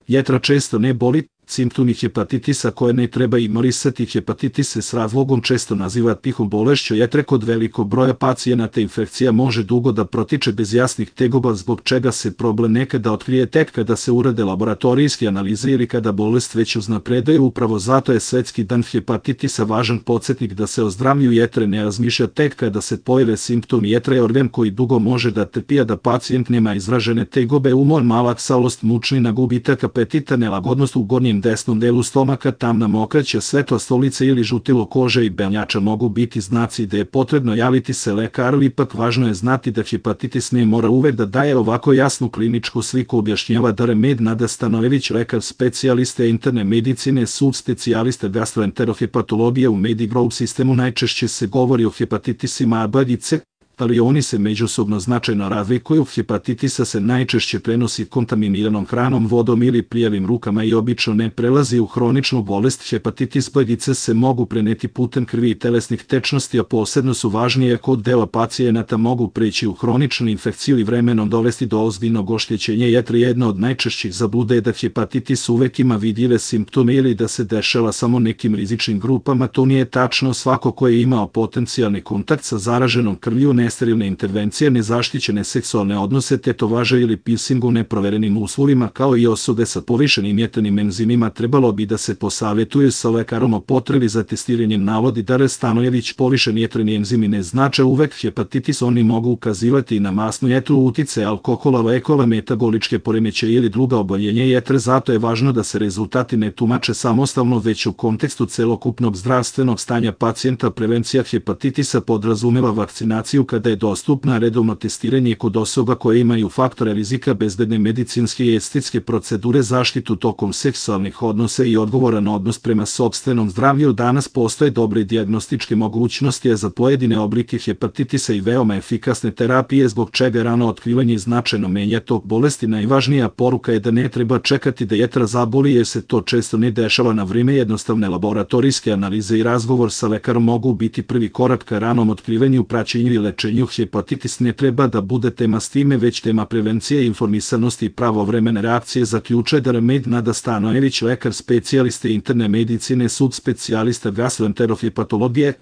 Jetra često ne boli, simptomi hepatitisa koje ne treba ignorisati. Hepatitis se s razlogom često naziva tihom bolešću jetre. Kod velikog broja pacijenata infekcija može dugo da protiče bez jasnih tegoba, zbog čega se problem nekada otkrije tek kada se urade laboratorijske analize ili kada bolest već uznapreduje. Upravo zato je Svetski dan hepatitisa važan podsjetnik da se o zdravlju jetre ne razmišlja tek kada se pojave simptomi. Jetra je organ koji dugo može da trpi, a da pacijent nema izražene tegobe, umor, malaksalost, mučnina, gubitak apetita, nelagodnost u gornjem desnom delu stomaka, tamna mokraća, svetlost lica ili žutilo kože i belnjača mogu biti znaci da je potrebno javiti se lekaru. Ipak važno je znati da hepatitis ne mora uvek da daje ovako jasnu kliničku sliku, objašnjava Dara-Med Nada Stanojević, lekar specijaliste interne medicine, subspecijaliste gastroenterohepatologije. U Medigroup sistemu najčešće se govori o hepatitisima A, B i C, ali oni se međusobno značajno razlikuju. Hepatitisa se najčešće prenosi kontaminiranom hranom, vodom ili prijavim rukama i obično ne prelazi u hroničnu bolest. Hepatitis B i C se mogu preneti putem krvi i telesnih tečnosti, a posebno su važnije kod dela pacijenata mogu preći u hroničnu infekciju i vremenom dovesti do ozbiljnog oštećenja jetre. Jedna od najčešćih zabluda je da hepatitis uvek ima vidljive simptome ili da se dešava samo nekim rizičnim grupama. To nije tačno. Svako ko je imao potencijalni kontakt sa zaraženom krvlju, nesterilne intervencije, nezaštićene seksualne odnose, tetovaže ili piercing u neproverenim uslovima, kao i osobe sa povišenim jetrnim enzimima, trebalo bi da se posavjetuju sa lekarom o potrebi za testiranjem, navodi Dara Stanojević. Povišeni jetreni enzimi ne znače uvek hepatitis, oni mogu ukazivati i na masnu jetru, utice alkohola, lekova, metaboličke poremećaje ili druga oboljenja jetre. Zato je važno da se rezultati ne tumače samostalno, već u kontekstu celokupnog zdravstvenog stanja pacijenta. Prevencija hepatitisa podrazumeva vakcinaciju kada je dostupna, redovno testiranje kod osoba koje imaju faktore rizika, bezbedne medicinske i estetske procedure, zaštitu tokom seksualnih odnosa i odgovoran odnos prema sopstvenom zdravlju. Danas postoje dobre dijagnostičke mogućnosti za pojedine oblike hepatitisa i veoma efikasne terapije, zbog čega rano otkrivanje značajno menja tok bolesti. Najvažnija poruka je da ne treba čekati da jetra zaboli, jer se to često ne dešava na vrijeme. Jednostavne laboratorijske analize i razgovor sa lekarom mogu biti prvi korak ka ranom otkrivanju, praćenju i lečenju. Hepatitis ne treba da bude tema stime, već tema prevencije, informisanosti i pravovremene reakcije, zaključuje Dara-Med Nada Stanojević, lekar specijaliste interne medicine, subspecijalista gastroenterohepatologije.